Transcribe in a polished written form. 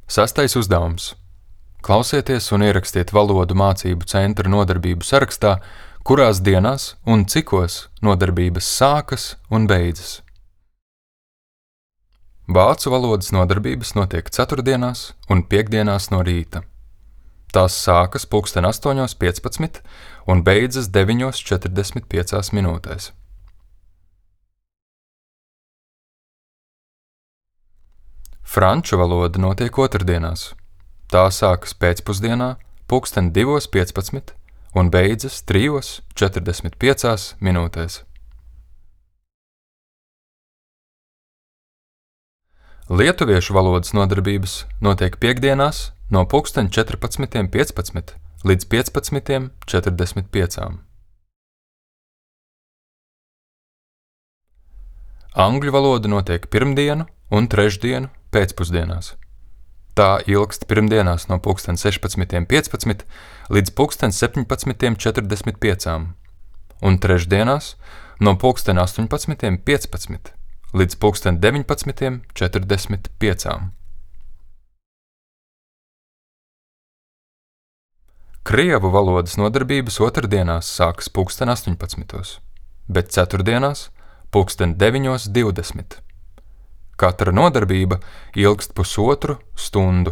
6. uzdevums. Klausieties un ierakstiet valodu mācību centra nodarbību sarakstā, kurās dienās un cikos nodarbības sākas un beidzas. Vācu valodas nodarbības notiek ceturtdienās un piektdienās no rīta. Tās sākas 8:15 un beidzas 9:45 minūtēs. Franču valoda notiek otrdienās. Tā sākas pēcpusdienā 2:15 un beidzas 3:45 minūtēs. Lietuviešu valodas nodarbības notiek piektdienās no 14:15 līdz 15:45. Angļu valoda notiek pirmdienu un trešdienu pēcpusdienās. Tā ilgst pirmdienās no 16:15 līdz 17:45 un trešdienās no 18:15 līdz 19:45. Krievu valodas nodarbības otrdienās sākas 18:00, bet ceturtdienās 9:20. Katra nodarbība ilgst 1,5 stundu.